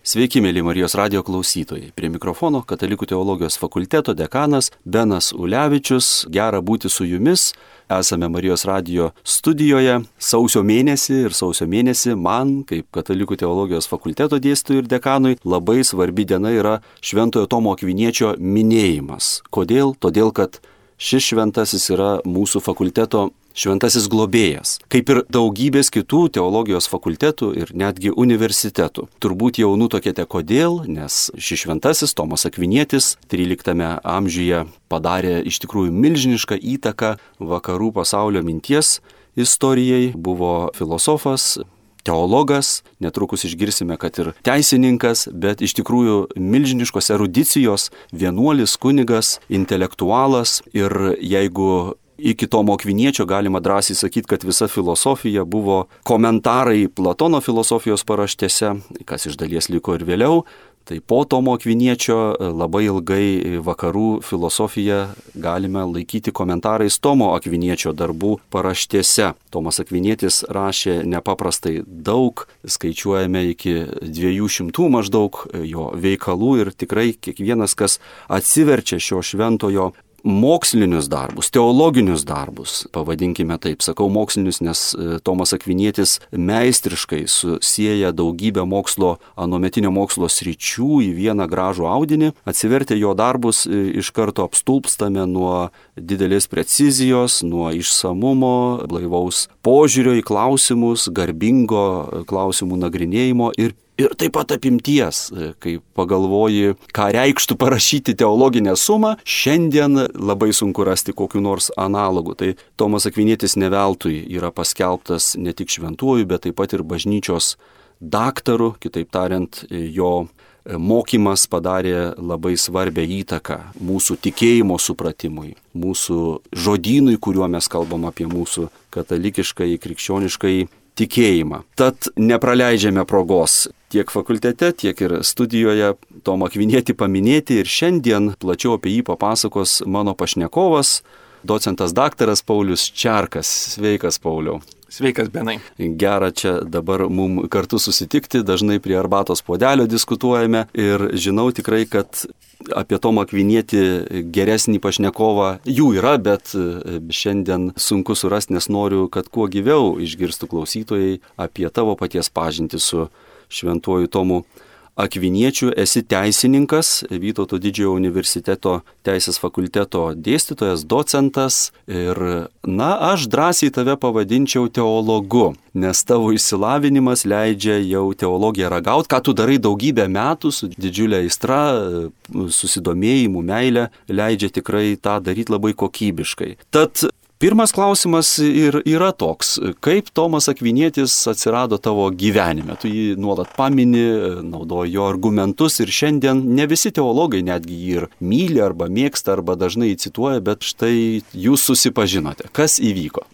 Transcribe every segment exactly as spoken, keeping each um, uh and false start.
Sveiki, mėly Marijos radijo klausytojai. Prie mikrofono Katalikų teologijos fakulteto dekanas Benas Ulevičius. Gera būti su jumis. Esame Marijos radijo studijoje sausio mėnesį ir sausio mėnesį man, kaip Katalikų teologijos fakulteto dėstytojui ir dekanui, labai svarbi diena yra Šventojo Tomo Akviniečio minėjimas. Kodėl? Todėl, kad šis šventasis yra mūsų fakulteto šventasis globėjas, kaip ir daugybės kitų teologijos fakultetų ir netgi universitetų. Turbūt jau nutuokėte kodėl, nes šis šventasis Tomas Akvinietis tryliktame amžiuje padarė iš tikrųjų milžinišką įtaką vakarų pasaulio minties istorijai, buvo filosofas, teologas, netrukus išgirsime, kad ir teisininkas, bet iš tikrųjų milžiniškos erudicijos, vienuolis, kunigas, intelektualas. Ir jeigu iki Tomo Akviniečio galima drąsiai sakyti, kad visa filosofija buvo komentarai Platono filosofijos paraštėse, kas iš dalies liko ir vėliau, tai po Tomo Akviniečio labai ilgai vakarų filosofiją galime laikyti komentarais Tomo Akviniečio darbų paraštėse. Tomas Akvinietis rašė nepaprastai daug, skaičiuojame iki dviejų šimtų maždaug jo veikalų ir tikrai kiekvienas, kas atsiverčia šio šventojo mokslinius darbus, teologinius darbus, pavadinkime taip, sakau mokslinius, nes Tomas Akvinietis meistriškai susieja daugybę mokslo, anuometinio mokslo sričių į vieną gražų audinį. Atsivertę jo darbus iš karto apstulpstame nuo didelės precizijos, nuo išsamumo, blaivaus požiūrio į klausimus, garbingo klausimų nagrinėjimo ir Ir taip pat apimties, kai pagalvoji, ką reikštų parašyti teologinę sumą, šiandien labai sunku rasti kokiu nors analogu. Tai Tomas Akvinietis ne veltui yra paskelbtas ne tik šventuoju, bet taip pat ir bažnyčios daktaru, kitaip tariant, jo mokymas padarė labai svarbią įtaką mūsų tikėjimo supratimui, mūsų žodynui, kuriuo mes kalbam apie mūsų katalikiškai, krikščioniškai tikėjimą. Tad nepraleidžiame progos tiek fakultete, tiek ir studijoje Tomą Akvinietį paminėti ir šiandien plačiau apie jį papasakos mano pašnekovas, docentas daktaras Paulius Čerkas. Sveikas, Pauliau. Sveikas, Benai. Gera čia dabar mum kartu susitikti, dažnai prie arbatos puodelio diskutuojame ir žinau tikrai, kad apie Tomą Akvinietį geresnį pašnekovą jų yra, bet šiandien sunku surasti, nes noriu, kad kuo gyviau išgirstų klausytojai apie tavo paties pažintį su šventuoju Tomu Akviniečiu. Esi teisininkas, Vytauto Didžiojo universiteto teisės fakulteto dėstytojas, docentas ir, na, aš drąsiai tave pavadinčiau teologu, nes tavo išsilavinimas leidžia jau teologiją ragauti, ką tu darai daugybę metų su didžiulė aistra, susidomėjimu, meilė, leidžia tikrai tą daryti labai kokybiškai. Tad pirmas klausimas ir yra toks, kaip Tomas Akvinietis atsirado tavo gyvenime? Tu jį nuolat pamini, naudoji jo argumentus ir šiandien ne visi teologai netgi jį ir myli arba mėgsta arba dažnai jį cituoja, bet štai jūs susipažinote. Kas įvyko?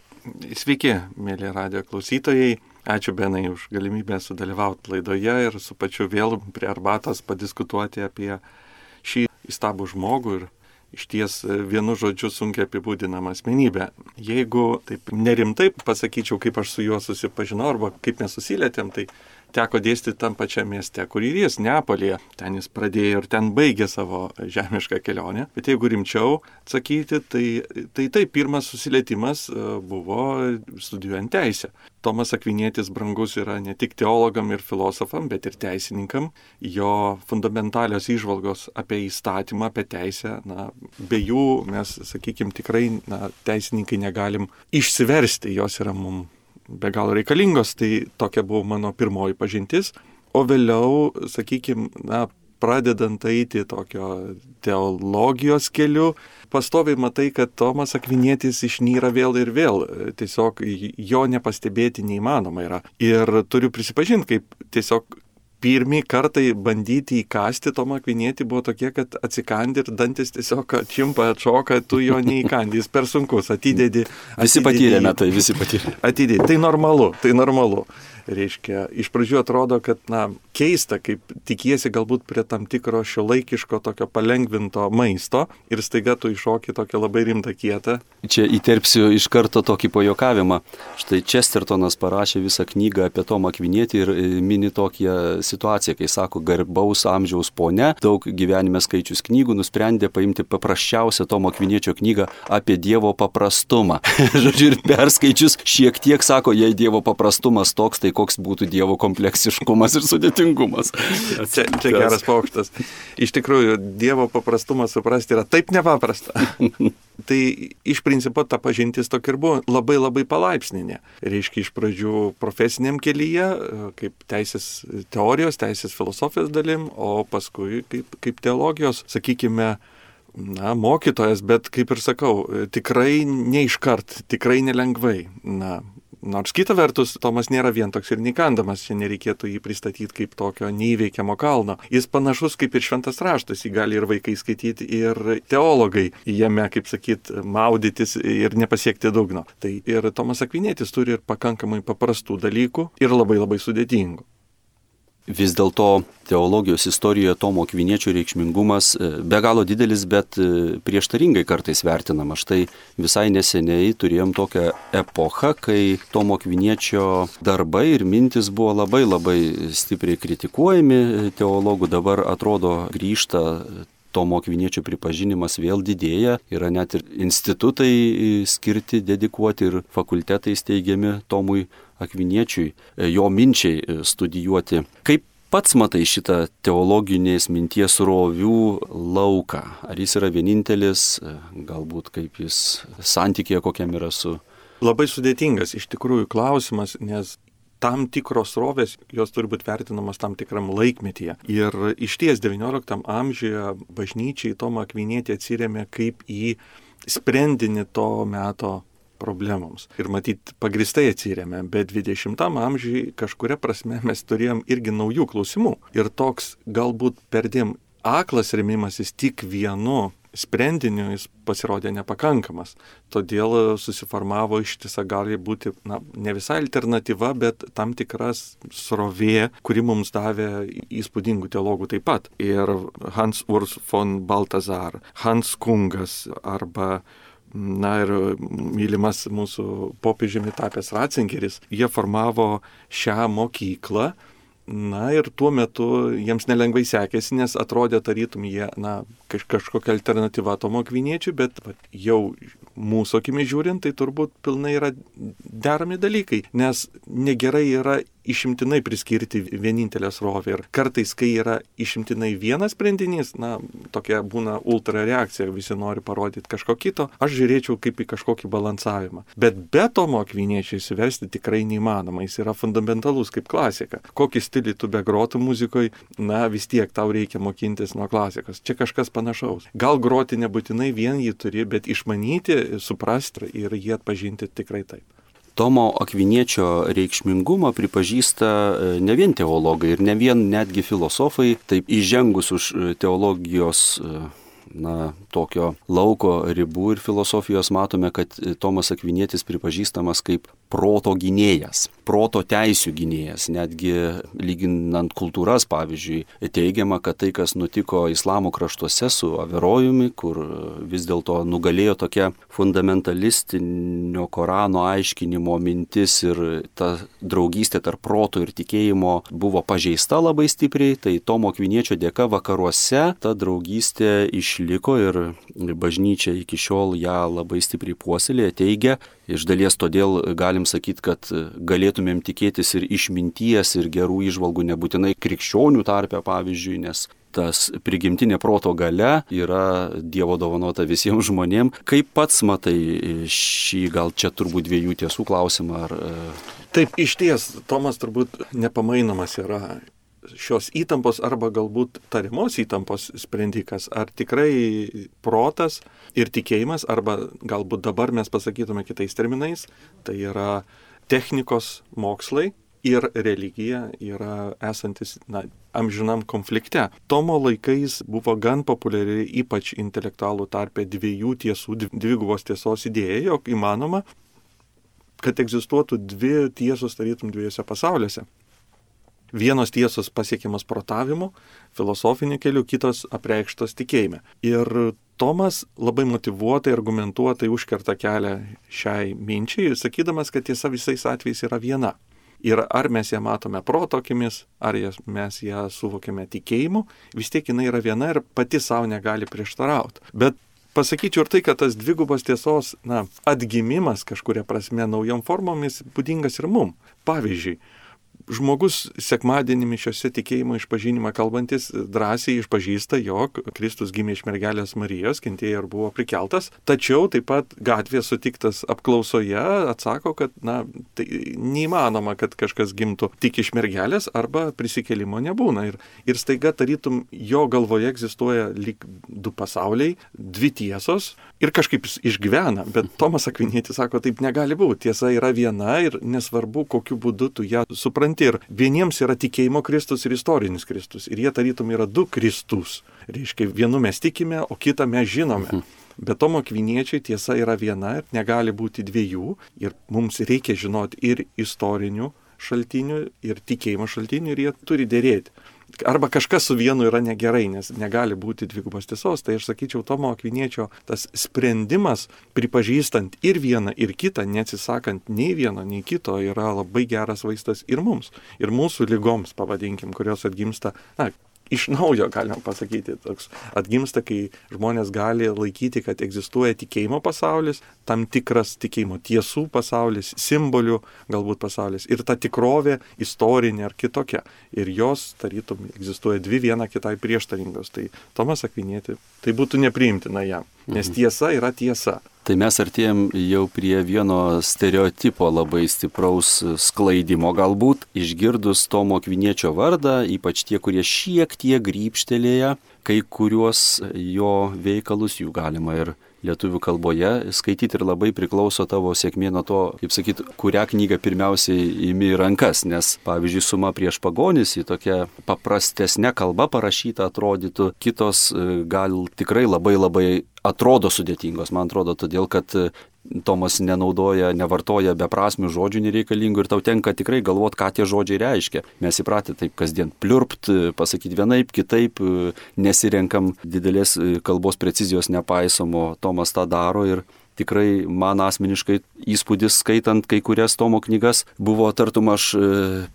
Sveiki, mėly radijo klausytojai. Ačiū, Benai, už galimybę sudalyvauti laidoje ir su pačiu vėl prie arbatos padiskutuoti apie šį įstabų žmogų ir išties vienu žodžiu sunkiai apibūdinama asmenybė. Jeigu taip nerimtai pasakyčiau, kaip aš su juo susipažinau arba kaip mes susilietėm, tai teko dėstyti tam pačiam mieste, kur ir jis, Neapolyje. Ten jis pradėjo ir ten baigė savo žemišką kelionę. Bet jeigu rimčiau atsakyti, tai tai, tai pirmas susilietimas buvo studijuojant teisę. Tomas Akvinietis brangus yra ne tik teologam ir filosofam, bet ir teisininkam. Jo fundamentalios įžvalgos apie įstatymą, apie teisę, na, be jų mes, sakykime, tikrai na, teisininkai negalim išsiversti, jos yra mums be galo reikalingos, tai tokia buvo mano pirmoji pažintis. O vėliau, sakykime, na, pradedant eiti tokio teologijos keliu, pastoviai matai, kad Tomas Akvinietis išnyra vėl ir vėl. Tiesiog jo nepastebėti neįmanoma yra. Ir turiu prisipažinti, kaip tiesiog pirmi kartai bandyti įkasti Tomą Akvinietį buvo tokie, kad atsikandi ir dantis tiesiog atšimpa, atšoka, tu jo neįkandi, jis per sunkus, atidedi. Visi patyrėme tai, visi patyrėme. Atidedi, tai normalu, tai normalu. Reiškia, iš pradžių atrodo, kad, na, keista, kaip tikiesi galbūt prie tam tikro šiuolaikiško tokio palengvinto maisto ir staiga tu iššoki tokią labai rimtą kietą. Čia įterpsiu iš karto tokį pajokavimą. Štai Chestertonas parašė visą knygą apie Tomą Akvinietį ir mini tokią situaciją, kai sako, garbaus amžiaus ponia, daug gyvenime skaičius knygų, nusprendė paimti paprasčiausią Tomo Akviniečio knygą apie Dievo paprastumą. Žodžiu, ir perskaičius šiek tiek sako, jei Dievo paprastumas toks, tai koks būtų Dievo kompleksiškumas ir sudėtingumas. Čia, čia geras paukštas. Iš tikrųjų, Dievo paprastumą suprasti yra taip nepaprasta. Tai iš principo ta pažintis tokia ir buvo labai labai palaipsninė. Reiškia, iš pradžių profesiniam kelyje, kaip teisės teorijos, teisės filosofijos dalim, o paskui kaip, kaip teologijos, sakykime, na, mokytojas, bet kaip ir sakau, tikrai neiškart, tikrai nelengvai. Na, nors kita vertus, Tomas nėra vien toks ir neįkandamas, čia nereikėtų jį pristatyti kaip tokio neįveikiamo kalno. Jis panašus kaip ir šventas raštas, jį gali ir vaikai skaityti, ir teologai jame, kaip sakyt, maudytis ir nepasiekti dugno. Tai ir Tomas Akvinietis turi ir pakankamai paprastų dalykų ir labai labai sudėtingų. Vis dėlto teologijos istorijoje Tomo Akviniečio reikšmingumas be galo didelis, bet prieštaringai kartais vertinama. Štai visai neseniai turėjom tokią epochą, kai Tomo Akviniečio darbai ir mintis buvo labai labai stipriai kritikuojami teologų. Dabar atrodo grįžta Tomo Akviniečio pripažinimas, vėl didėja, yra net ir institutai skirti, dedikuoti ir fakultetai steigiami Tomui Akviniečiui, jo minčiai studijuoti. Kaip pats matai šitą teologinės minties rovių lauką? Ar jis yra vienintelis, galbūt kaip jis santykėje kokiam yra su... Labai sudėtingas iš tikrųjų klausimas, nes tam tikros rovės, jos turi būti vertinamos tam tikram laikmetyje. Ir išties devynioliktam amžiuje bažnyčiai Tomą Akvinietį atsirėmė kaip į sprendinį to meto problemoms. Ir matyt, pagristai atsirėmė, bet dvidešimtam amžiui kažkuria prasme mes turėjom irgi naujų klausimų. Ir toks galbūt perdėm aklas remimasis tik vienu sprendiniu jis pasirodė nepakankamas. Todėl susiformavo ištisa gali būti, na, ne visai alternatyva, bet tam tikras srovė, kuri mums davė įspūdingų teologų taip pat. Ir Hans Urs von Balthasar, Hans Kungas arba na ir mylimas mūsų popiežiumi tapęs Ratzingeris, jie formavo šią mokyklą. Na ir tuo metu jiems nelengvai sekėsi, nes atrodė tarytum jie, na, kaž, kažkokia alternatyva Tomo Akviniečiui, bet va, jau mūsų akimis žiūrint, tai turbūt pilnai yra derami dalykai, nes negerai yra išimtinai priskirti vienintelę srovę. Ir kartais, kai yra išimtinai vienas sprendinys, na, tokia būna ultra reakcija, visi nori parodyti kažko kito, aš žiūrėčiau kaip į kažkokį balansavimą. Bet be Tomo Akviniečio įsiversti tikrai neįmanoma, jis yra fundamentalus kaip klasika. Kokį stilių tu begrotų muzikoje, na, vis tiek tau reikia mokintis nuo klasikos. Čia kažkas panašaus. Gal groti nebūtinai vien jį turi, bet išmanyti, suprasti ir jį atpažinti tikrai taip. Tomo Akviniečio reikšmingumą pripažįsta ne vien teologai ir ne vien netgi filosofai, taip įžengus už teologijos, na, tokio lauko ribų ir filosofijos matome, kad Tomas Akvinietis pripažįstamas kaip proto gynėjas, proto teisių gynėjas. Netgi lyginant kultūras, pavyzdžiui, teigiama, kad tai, kas nutiko islamo kraštuose su Averojumi, kur vis dėlto nugalėjo tokia fundamentalistinio Korano aiškinimo mintis ir ta draugystė tarp proto ir tikėjimo buvo pažeista labai stipriai, tai Tomo Akviniečio dėka vakaruose ta draugystė išliko ir bažnyčia iki šiol ją labai stipriai puoselėja, teigia. Iš dalies todėl galim sakyti, kad galėtumėm tikėtis ir išminties, ir gerų įžvalgų nebūtinai krikščionių tarpe, pavyzdžiui, nes tas prigimtinė proto galia yra Dievo dovanota visiems žmonėms. Kaip pats matai šį, gal čia turbūt dviejų tiesų klausimą? Ar... Taip, iš ties, Tomas turbūt nepamainomas yra šios įtampos arba galbūt tariamos įtampos sprendikas, ar tikrai protas ir tikėjimas, arba galbūt dabar mes pasakytume kitais terminais, tai yra technikos mokslai ir religija yra esantis, na, amžinam konflikte. Tomo laikais buvo gan populiari, ypač intelektualų tarpe, dviejų tiesų, dvigubos tiesos idėja, jog įmanoma kad egzistuotų dvi tiesos tarytum dviejose pasauliuose. Vienos tiesos pasiekiamas protavimu, filosofiniu keliu, kitos apreikštos tikėjime. Ir Tomas labai motyvuotai, argumentuotai užkerta kelią šiai minčiai, sakydamas, kad tiesa visais atvejais yra viena. Ir ar mes ją matome proto akimis, ar mes ją suvokiame tikėjimu, vis tiek jinai yra viena ir pati savo negali prieštarauti. Bet pasakyčiau ir tai, kad tas dvigubos tiesos na, atgimimas kažkuria prasme naujom formomis būdingas ir mum. Pavyzdžiui, žmogus sekmadienį mišiose tikėjimo išpažinimą kalbantis drąsiai išpažįsta, jog Kristus gimė iš mergelės Marijos, kentėjo ir buvo prikeltas, tačiau taip pat gatvėje sutiktas apklausoje atsako, kad na, tai neįmanoma, kad kažkas gimtų tik iš mergelės arba prisikėlimo nebūna. Ir, ir staiga tarytum jo galvoje egzistuoja lyg du pasauliai, dvi tiesos ir kažkaip jis išgyvena, bet Tomas Akvinietis sako, taip negali būti, tiesa yra viena ir nesvarbu, kokiu būdu tu ją supranti. Ir vieniems yra tikėjimo Kristus ir istorinis Kristus. Ir jie tarytum yra du Kristus. Reiškia, vienu mes tikime, o kitą mes žinome. Bet Tomo Akviniečio tiesa yra viena ir negali būti dviejų. Ir mums reikia žinoti ir istorinių šaltinių, ir tikėjimo šaltinių, ir jie turi dėrėti. Arba kažkas su vienu yra negerai, nes negali būti dvigubos tiesos. Tai aš sakyčiau, Tomo Akviniečio tas sprendimas, pripažįstant ir vieną, ir kitą, neatsisakant nei vieno, nei kito, yra labai geras vaistas ir mums, ir mūsų ligoms, pavadinkim, kurios atgimsta, na, iš naujo galima pasakyti, toks atgimsta, kai žmonės gali laikyti, kad egzistuoja tikėjimo pasaulis, tam tikras tikėjimo tiesų pasaulis, simbolių galbūt pasaulis ir ta tikrovė istorinė ar kitokia. Ir jos, tarytum, egzistuoja dvi viena kitai prieštaringos. Tai Tomas Akvinietį, tai būtų nepriimtina jam, nes tiesa yra tiesa. Tai mes artėjom jau prie vieno stereotipo labai stipraus sklaidimo galbūt, išgirdus Tomo Akviniečio vardą, ypač tie, kurie šiek tiek grybštelėja, kai kuriuos jo veikalus jų galima ir lietuvių kalboje skaityti ir labai priklauso tavo sėkmė nuo to, kaip sakyt, kurią knygą pirmiausiai imi į rankas, nes, pavyzdžiui, Suma prieš pagonis į tokią paprastesnę kalbą parašytą atrodytų, kitos gal tikrai labai labai atrodo sudėtingos, man atrodo, todėl, kad Tomas nenaudoja, nevartoja beprasmių žodžių nereikalingų ir tau tenka tikrai galvot, ką tie žodžiai reiškia. Mes įpratę taip kasdien pliurpt, pasakyti vienaip, kitaip, nesirenkam didelės kalbos precizijos nepaisomo, Tomas tą daro ir tikrai man asmeniškai įspūdis skaitant kai kurias Tomo knygas buvo tartum aš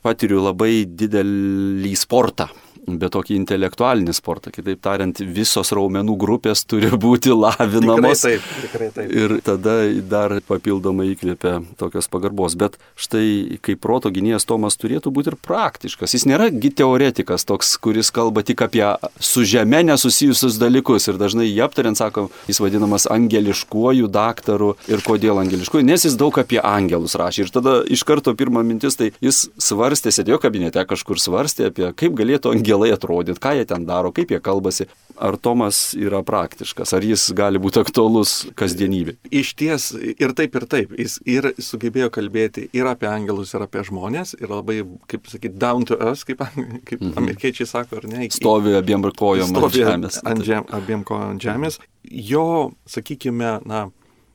patiriu labai didelį sportą. Bet tokį intelektualinį sportą. Kitaip tariant, visos raumenų grupės turi būti lavinamos. Tikrai taip, tikrai taip. Ir tada dar papildomai įkvėpia tokios pagarbos. Bet štai, kaip proto gynėjas Tomas turėtų būti ir praktiškas. Jis nėra teoretikas toks, kuris kalba tik apie su žeme nesusijusius dalykus. Ir dažnai jį aptariant, sakom, jis vadinamas angeliškuoju daktaru. Ir kodėl angeliškuoju? Nes jis daug apie angelus rašė. Ir tada iš karto pirma mintis, tai jis svarstė, sėdėjo kabinete kažkur svarstė apie kaip galėtų angelai atrodyti, ką jie ten daro, kaip jie kalbasi. Ar Tomas yra praktiškas, ar jis gali būti aktualus kasdienybė? Iš ties ir taip, ir taip. Jis ir sugebėjo kalbėti ir apie angelus, ir apie žmonės, ir labai, kaip sakyti, down to earth, kaip, kaip mhm. amerikiečiai sako, ar ne? Stovi abiem kojom ant žemės. Ant žem, abiem kojom ant žemės. Jo, sakykime, na,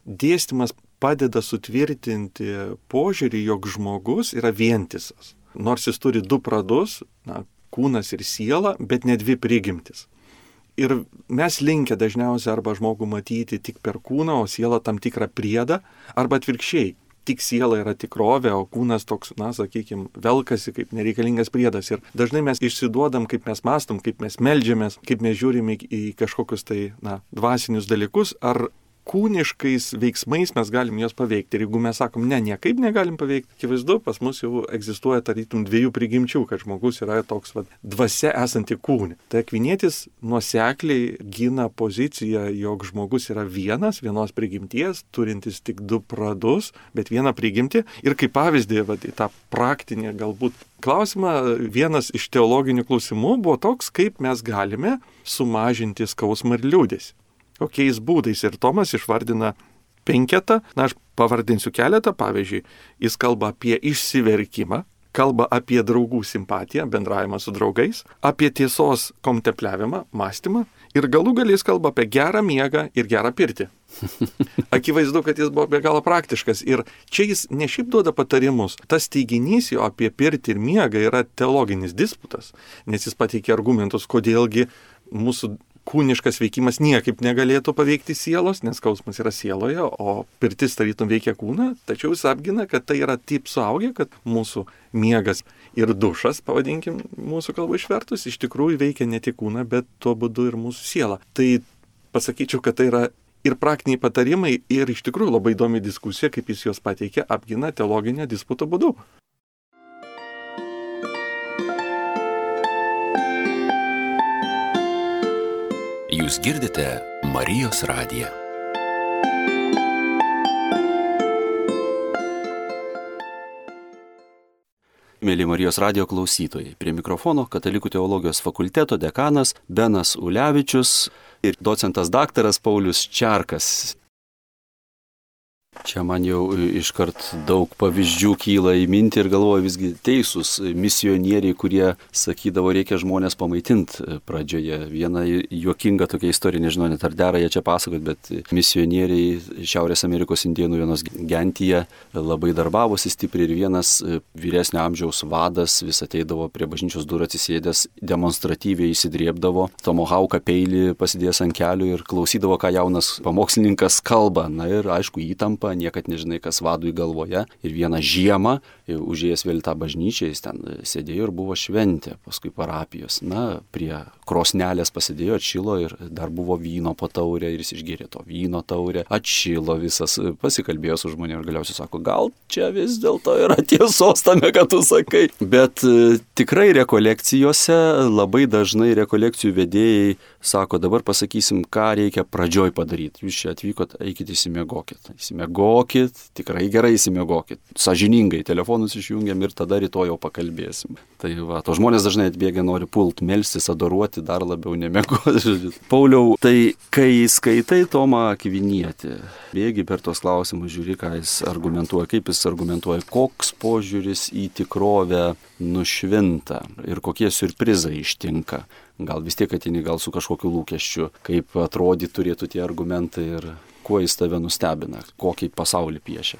dėstymas padeda sutvirtinti požiūrį, jog žmogus yra vientisas. Nors jis turi du pradus, na, kūnas ir siela, bet ne dvi prigimtis. Ir mes linkę dažniausiai arba žmogų matyti tik per kūną, o sielą tam tikrą priedą, arba atvirkščiai. Tik siela yra tikrovė, o kūnas toks, na, sakykime, velkasi kaip nereikalingas priedas. Ir dažnai mes išsiduodam, kaip mes mastom, kaip mes meldžiamės, kaip mes žiūrime į kažkokius tai, na, dvasinius dalykus, ar kūniškais veiksmais mes galim juos paveikti. Ir jeigu mes sakom, ne, niekaip negalim paveikti, akivaizdu, pas mus jau egzistuoja tarytum dviejų prigimčių, kad žmogus yra toks va, dvasia esanti kūne. Tai Akvinietis nuosekliai gina poziciją, jog žmogus yra vienas, vienos prigimties, turintis tik du pradus, bet vieną prigimtį. Ir kaip pavyzdį, va, tą praktinį galbūt klausimą, vienas iš teologinių klausimų buvo toks, kaip mes galime sumažinti skausmą ir liūdesį. Kokiais būdais. Ir Tomas išvardina penketą, na aš pavardinsiu keletą, pavyzdžiui, jis kalba apie išsiverkimą, kalba apie draugų simpatiją, bendravimą su draugais, apie tiesos kontempliavimą, mąstymą ir galų galiais kalba apie gerą miegą ir gerą pirtį. Akivaizdu, kad jis buvo be galo praktiškas ir čia jis ne šiaip duoda patarimus. Tas teiginys jo apie pirtį ir miegą yra teologinis disputas, nes jis pateikia argumentus, kodėlgi mūsų kūniškas veikimas niekaip negalėtų paveikti sielos, nes skausmas yra sieloje, o pirtis tarytum veikia kūną, tačiau jis apgina, kad tai yra taip suaugę, kad mūsų miegas ir dušas, pavadinkim mūsų kalbą išvertus, iš tikrųjų veikia ne tik kūną, bet tuo būdu ir mūsų sielą. Tai pasakyčiau, kad tai yra ir praktiniai patarimai, ir iš tikrųjų labai įdomi diskusija, kaip jis juos pateikia, apgina teologinio disputo būdu. Jūs girdite Marijos radiją. Mėly Marijos radijo klausytojai, prie mikrofono Katalikų teologijos fakulteto dekanas Benas Ulevičius ir docentas daktaras Paulius Čerkas. Čia man jau iškart daug pavyzdžių kyla į mintį ir galvoju, visgi teisūs misionieriai, kurie sakydavo, reikia žmonės pamaitinti pradžioje. Viena juokinga tokia istorija, nežinau, net ar dera jie čia pasakot, bet misionieriai Šiaurės Amerikos indėnų vienos gentyje labai darbavosi stipriai ir vienas vyresnio amžiaus vadas vis ateidavo prie bažnyčios durų atsisėdęs, demonstratyviai įsidrėbdavo, tomahauką peilį pasidėjęs ant kelių ir klausydavo, ką jaunas pamokslininkas kalba. Na ir aišku, įtampa, niekad nežinai, kas vadui galvoje. Ir vieną žiemą, užėjęs vėl tą bažnyčią, jis ten sėdėjo ir buvo šventė, paskui parapijos. Na, prie krosnelės pasidėjo, atšilo ir dar buvo vyno po taurę ir jis išgėrė to vyno taurę, atšilo visas, pasikalbėjo su žmonėmis ir galiausiai sako, gal čia vis dėlto yra tiesos tame, ką tu sakai. Bet e, tikrai rekolekcijose labai dažnai rekolekcijų vedėjai sako, dabar pasakysim, ką reikia pradžioj padaryti. Jūs čia atvykot, eikit įsimiegokit. Įsimiegokit, tikrai gerai įsimiegokit. Sąžiningai telefonus išjungiam ir tada rytoj jau pakalbėsim. Tai va, to žmonės dažnai atbėgia, nori pult, melstis, adoruoti, dar labiau nemiegoti. Pauliau, tai kai skaitai Tomą Akvinietį, bėgi per tos klausimus, žiūri, ką jis argumentuoja, kaip jis argumentuoja, koks požiūris į tikrovę nušvinta ir kokie siurprizai ištinka. Gal vis tiek ateini gal su kažkokiu lūkesčiu, kaip atrodyti turėtų tie argumentai ir kuo jis tave nustebina, kokį pasaulį piešia,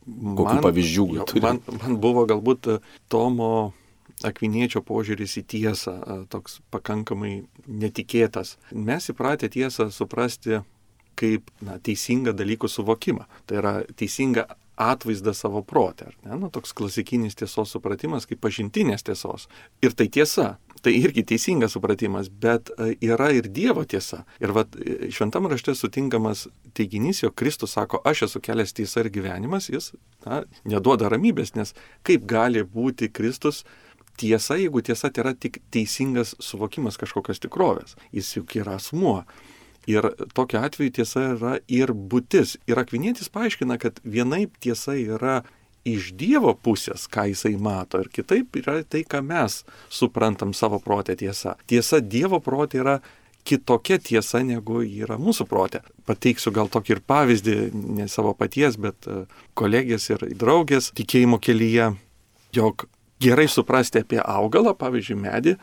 kokių man, pavyzdžių jo, turi. Man, man buvo galbūt Tomo Akviniečio požiūris į tiesą toks pakankamai netikėtas. Mes įpratę tiesą suprasti kaip na, teisingą dalykų suvokimą. Tai yra teisinga atvaizdą savo protę. Nu, toks klasikinis tiesos supratimas kaip pažintinės tiesos. Ir tai tiesa. Tai irgi teisingas supratimas, bet yra ir Dievo tiesa. Ir vat, šventam rašte sutinkamas teiginys, jog Kristus sako, aš esu kelias, tiesa ir gyvenimas, jis na, neduoda ramybės, nes kaip gali būti Kristus tiesa, jeigu tiesa tai yra tik teisingas suvokimas kažkokios tikrovės. Jis juk yra asmuo. Ir tokiu atveju tiesa yra ir būtis. Ir Akvinietis paaiškina, kad vienaip tiesa yra iš Dievo pusės, ką jisai mato, ir kitaip yra tai, ką mes suprantam savo protę tiesa. Tiesa Dievo protė yra kitokia tiesa, negu yra mūsų protė. Pateiksiu gal tokį ir pavyzdį, ne savo paties, bet kolegės ir draugės tikėjimo kelyje, jog gerai suprasti apie augalą, pavyzdžiui, medį,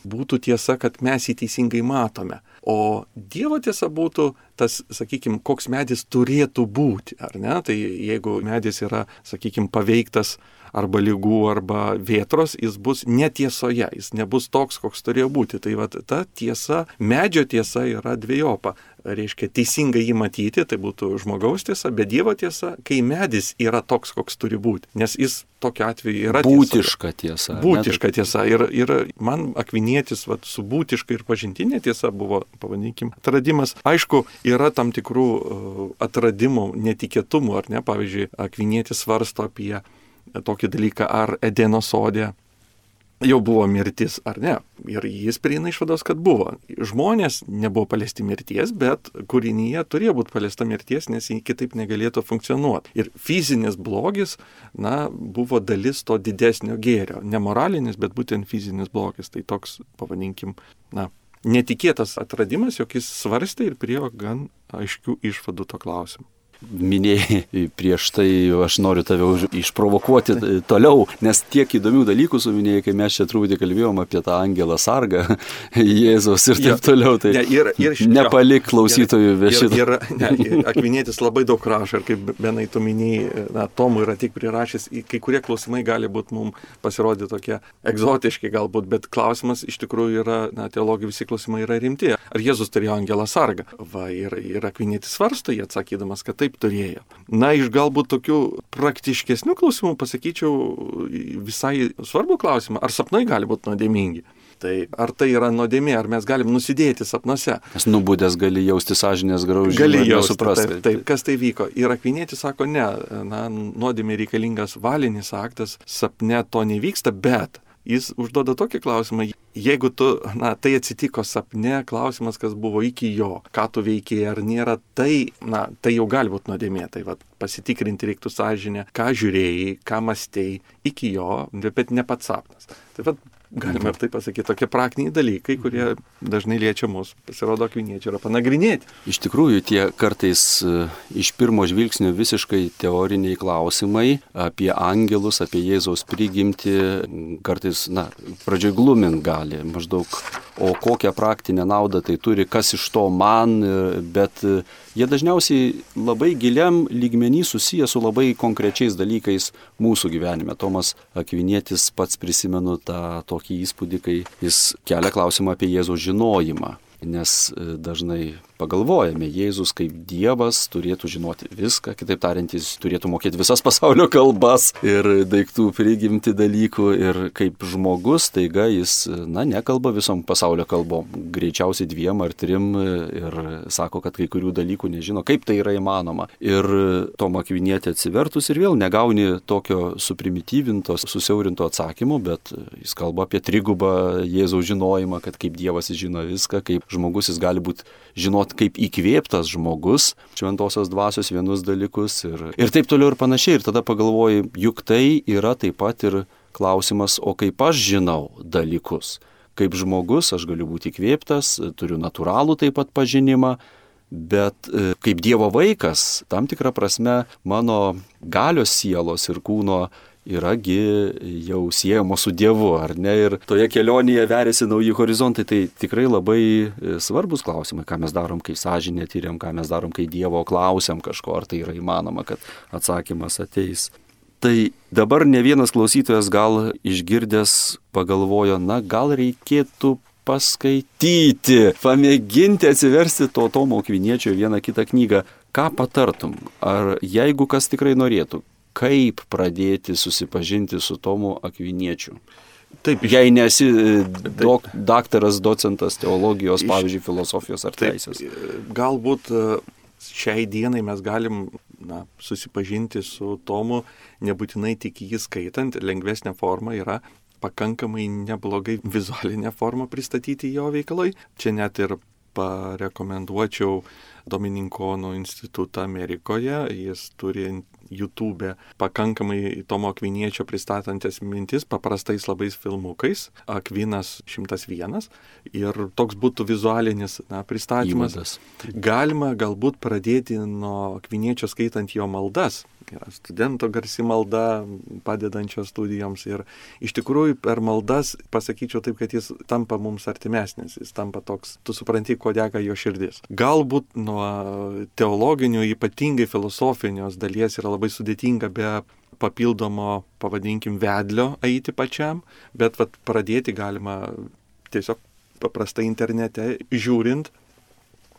būtų tiesa, kad mes jį teisingai matome. O Dievo tiesa būtų tas, sakykime, koks medis turėtų būti, ar ne? Tai jeigu medis yra, sakykime, paveiktas arba ligų, arba vėtros, jis bus netiesoje, jis nebus toks, koks turėjo būti. Tai va, ta tiesa, medžio tiesa yra dvejopa. Reiškia, teisingai jį matyti, tai būtų žmogaus tiesa, bet Dievo tiesa, kai medis yra toks, koks turi būti. Nes jis tokiu atveju yra būtiška tiesa. Būtiška tiesa. Ir, ir man Akvinietis va, su būtiška ir pažintinė tiesa buvo, pavadinkim, atradimas. Aišku, yra tam tikrų uh, atradimų, netikėtumų, ar ne? Pavyzdžiui, Akvinietis svarsto apie tokį dalyką, ar Edeno sode jau buvo mirtis, ar ne. Ir jis prieina išvados, kad buvo. Žmonės nebuvo paliesti mirties, bet kūrinyje turėjo būti paliesta mirties, nes jį kitaip negalėtų funkcionuoti. Ir fizinis blogis, na, buvo dalis to didesnio gėrio. Ne moralinis, bet būtent fizinis blogis. Tai toks, pavadinkim, na, netikėtas atradimas, jog jis svarstė ir priėjo gan aiškių išvadų to klausimu. minėjai prieš tai, aš noriu tave išprovokuoti toliau, nes tiek įdomių dalykų suminėjai, kai mes čia truputį kalbėjom apie tą angelą sargą, Jėzaus ir taip toliau, tai ne, ir, ir, nepalik klausytojų be šito. Ir, ir, ir Akvinietis labai daug rašo, ir kaip Benai tu minėjai, na, Tomui yra tik prirašęs, kai kurie klausimai gali būti mums pasirodyti tokie egzotiški galbūt, bet klausimas iš tikrųjų yra, na, teologijai visi klausimai yra rimti. Ar Jėzus turėjo angelą sargą? Va, ir, ir Akvinietis svarsto jį atsakydamas, kad taip turėjo. Na, iš galbūt tokių praktiškesnių klausimų pasakyčiau visai svarbų klausimą, ar sapnai gali būti nuodėmingi. Tai ar tai yra nuodėmė, ar mes galim nusidėti sapnuose? Nes nubudęs gali jausti sąžinės graužimą. Gali jausti, taip, taip, kas tai vyko. Ir Akvinietis sako, ne, na, nuodėmė reikalingas valinis aktas, sapne to nevyksta, bet jis užduoda tokį klausimą, jeigu tu, na, tai atsitiko sapne, klausimas, kas buvo iki jo, ką tu veikėjai, ar nėra, tai, na, tai jau gali būti nuodėmė, tai va, pasitikrinti reiktų sąžinę, ką žiūrėjai, ką mąstei iki jo, bet ne pats sapnas. Tai va, galime ir taip pasakyti, tokie praktiniai dalykai, kurie dažnai liečia mus, pasirodo Akviniečiai yra panagrinėti. Iš tikrųjų, tie kartais iš pirmo žvilgsnio visiškai teoriniai klausimai apie angelus, apie Jėzaus prigimtį, kartais, na, pradžioj glumint gali, maždaug, o kokią praktinę naudą tai turi, kas iš to man, bet jie dažniausiai labai giliam lygmenį susiję su labai konkrečiais dalykais mūsų gyvenime. Tomas Akvinietis pats prisimenu tą tokį įspūdį, kai jis kelia klausimą apie Jėzaus žinojimą, nes dažnai pagalvojame, Jėzus kaip Dievas turėtų žinoti viską, kitaip tariant, jis turėtų mokėti visas pasaulio kalbas ir daiktų prigimti dalykų, ir kaip žmogus, taiga jis, na, nekalba visom pasaulio kalbom, greičiausiai dviem ar trim, ir sako, kad kai kurių dalykų nežino, kaip tai yra įmanoma. Ir Tomą Akvinietį atsivertus ir vėl negauni tokio suprimityvinto, susiaurinto atsakymo, bet jis kalba apie trigubą Jėzaus žinojimą, kad kaip Dievas jis žino viską, kaip žmogus jis gali būti žinoti kaip įkvėptas žmogus, šventosios dvasios vienus dalykus ir, ir taip toliau ir panašiai. Ir tada pagalvoji, juk tai yra taip pat ir klausimas, o kaip aš žinau dalykus. Kaip žmogus aš galiu būti įkvėptas, turiu natūralų taip pat pažinimą, bet kaip Dievo vaikas, tam tikrą prasme, mano galios sielos ir kūno yragi jau siejamo su Dievu, ar ne? Ir toje kelionėje veriasi nauji horizontai. Tai tikrai labai svarbus klausimai, ką mes darom, kai sąžinę tyriam, ką mes darom, kai Dievo klausiam kažko, ar tai yra įmanoma, kad atsakymas ateis. Tai dabar ne vienas klausytojas gal išgirdęs pagalvojo, na gal reikėtų paskaityti, pamėginti atsiversti to Tomo Akviniečio vieną kitą knygą. Ką patartum? Ar jeigu kas tikrai norėtų, kaip pradėti susipažinti su Tomu Akviniečiu? Taip, iš... Jei nesi dok, daktaras, docentas teologijos, iš... pavyzdžiui, filosofijos ar taip, teisės. Galbūt šiai dienai mes galim, na, susipažinti su Tomu, nebūtinai tik jį skaitant, lengvesnė forma yra pakankamai neblogai vizualinė forma pristatyti jo veikalai. Čia net ir parekomenduočiau Domininkonų institutą Amerikoje, jis turi YouTube pakankamai Tomo Akviniečio pristatantis mintis paprastais labais filmukais, Akvinas šimtas vienas, ir toks būtų vizualinis, na, pristatymas. Įvadas. Galima galbūt pradėti nuo Akviniečio skaitant jo maldas. Yra studento garsi malda, padedančio studijoms, ir iš tikrųjų per maldas pasakyčiau taip, kad jis tampa mums artimesnis, jis tampa toks, tu supranti, ko dega jo širdis. Galbūt nuo teologinių, ypatingai filosofinios dalies yra labai sudėtinga be papildomo, pavadinkim, vedlio eiti pačiam, bet vat, pradėti galima tiesiog paprastai internete žiūrint,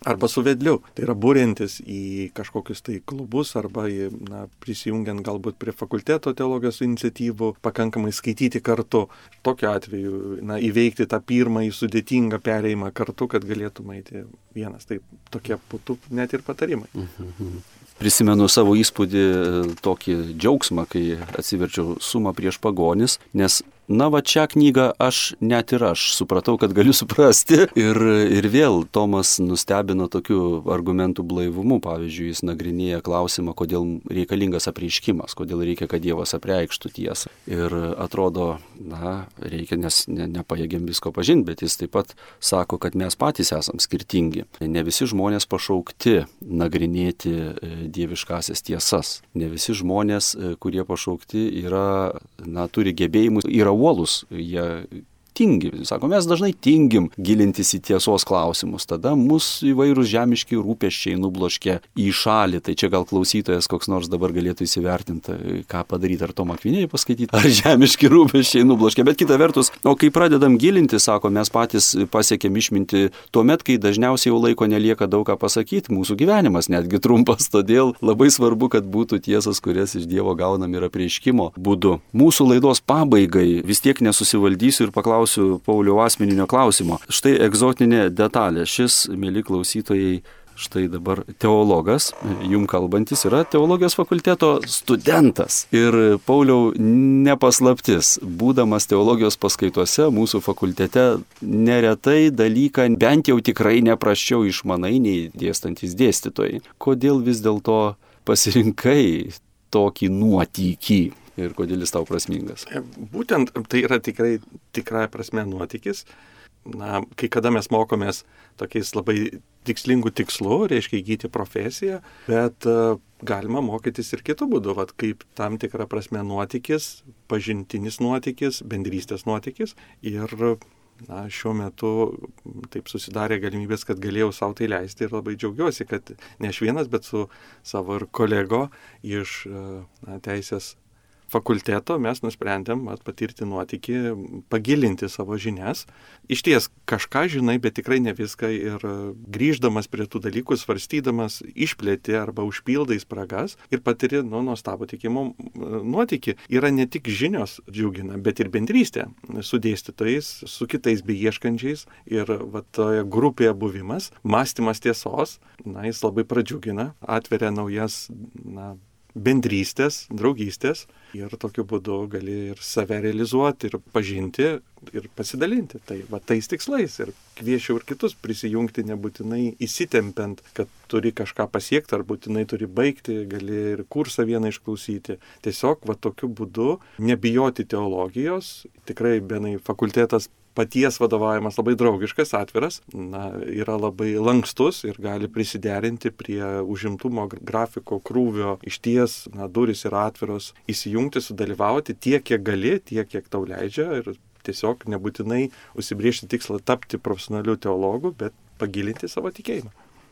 arba su vedliu. Tai yra būrintis į kažkokius tai klubus arba į, na, prisijungiant galbūt prie fakulteto teologijos iniciatyvų, pakankamai skaityti kartu. Tokiu atveju, na, įveikti tą pirmąjį sudėtingą perėjimą kartu, kad galėtum eiti vienas. Tai tokie būtų net ir patarimai. Mhm. Prisimenu savo įspūdį, tokį džiaugsmą, kai atsiverčiau Sumą prieš pagonis, nes na va šią knygą aš net ir aš supratau, kad galiu suprasti. Ir, ir vėl Tomas nustebino tokiu argumentų blaivumu. Pavyzdžiui, jis nagrinėja klausimą, kodėl reikalingas apreiškimas, kodėl reikia, kad Dievas apreikštų tiesą. Ir atrodo, na, reikia, nes ne, nepajėgiam visko pažinti, bet jis taip pat sako, kad mes patys esam skirtingi. Ne visi žmonės pašaukti nagrinėti dieviškasias tiesas. Ne visi žmonės, kurie pašaukti, yra, na, turi gebėjimus, yra uolūs, jie tingi. Sako, mes dažnai tingim gilintis į tiesos klausimus. Tada mus įvairūs žemiški rūpesčiai nubloškia į šalį. Tai čia gal klausytojas koks nors dabar galėtų įsivertinti, ką padaryti, ar Tomą Akvinėją paskaityti, ar žemiški rūpesčiai nubloškia. Bet kita vertus, o kai pradedam gilinti, sako, mes patys pasiekėm išminti tuomet, kai dažniausiai jau laiko nelieka daug ką pasakyti, mūsų gyvenimas netgi trumpas, todėl labai svarbu, kad būtų tiesas, kurias iš Dievo gaunam ir apreiškimo būdu. Mūsų laidos pabaigai vis tiek nesusivaldysiu ir paklausiu Pauliaus asmeninio klausimo. Štai egzotinė detalė. Šis, mieli klausytojai, štai dabar teologas, jum kalbantis, yra teologijos fakulteto studentas. Ir Pauliau, nepaslaptis, būdamas teologijos paskaitose mūsų fakultete, neretai dalyką bent jau tikrai neprasčiau išmanai nei dėstantis dėstytojai. Kodėl vis dėlto pasirinkai tokį nuotykį? Ir kodėl jis tau prasmingas? Būtent tai yra tikrai tikrąja prasme nuotykis. Na, kai kada mes mokomės tokiais labai tikslingų tikslų, reiškia įgyti profesiją, bet uh, galima mokytis ir kitų būdų, vat, kaip tam tikra prasme nuotykis, pažintinis nuotykis, bendrystės nuotykis. Ir na, šiuo metu taip susidarė galimybės, kad galėjau savo tai leisti ir labai džiaugiuosi, kad ne aš vienas, bet su savo ir kolego iš uh, na, teisės fakulteto mes nusprendėm patirti nuotykį, pagilinti savo žinias. Iš ties kažką žinai, bet tikrai ne viską ir grįždamas prie tų dalykų, svarstydamas, išplėti arba užpildai spragas ir patiri nu, nuostabų tikimo nuotykį. Yra ne tik žinios džiugina, bet ir bendrystė su dėstytojais, su kitais beieškančiais ir va, toje grupėje buvimas, mąstymas tiesos, na, jis labai pradžiugina, atveria naujas na, bendrystės, draugystės ir tokiu būdu gali ir save realizuoti, ir pažinti, ir pasidalinti. Tai va tais tikslais ir kviečiau ir kitus prisijungti, nebūtinai įsitempiant, kad turi kažką pasiekti ar būtinai turi baigti, gali ir kursą vieną išklausyti. Tiesiog va tokiu būdu nebijoti teologijos, tikrai benai fakultetas paties vadovavimas labai draugiškas, atviras, na, yra labai lankstus ir gali prisiderinti prie užimtumo grafiko krūvio. Išties, na, durys yra atviros, įsijungti, sudalyvauti tiek, kiek gali, tiek, kiek tau leidžia ir tiesiog nebūtinai užsibriežti tikslą tapti profesionaliu teologu, bet pagilinti savo tikėjimą.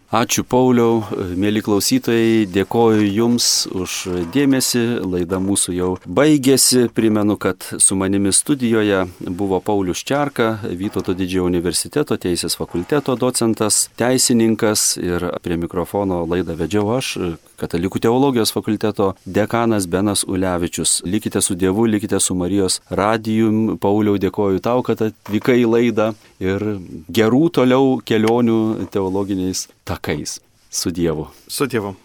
Ačiū Pauliau, mėly klausytojai, dėkoju Jums už dėmesį, laida mūsų jau baigėsi, primenu, kad su manimi studijoje buvo Paulius Čerka, Vytauto Didžiojo universiteto teisės fakulteto docentas, teisininkas ir prie mikrofono laidą vedžiau aš, Katalikų teologijos fakulteto dekanas Benas Ulevičius. Likite su Dievu, likite su Marijos radijum. Pauliau, dėkoju tau, kad atvykai į laidą ir gerų toliau kelionių teologiniais takais. Su Dievu. Su Dievu.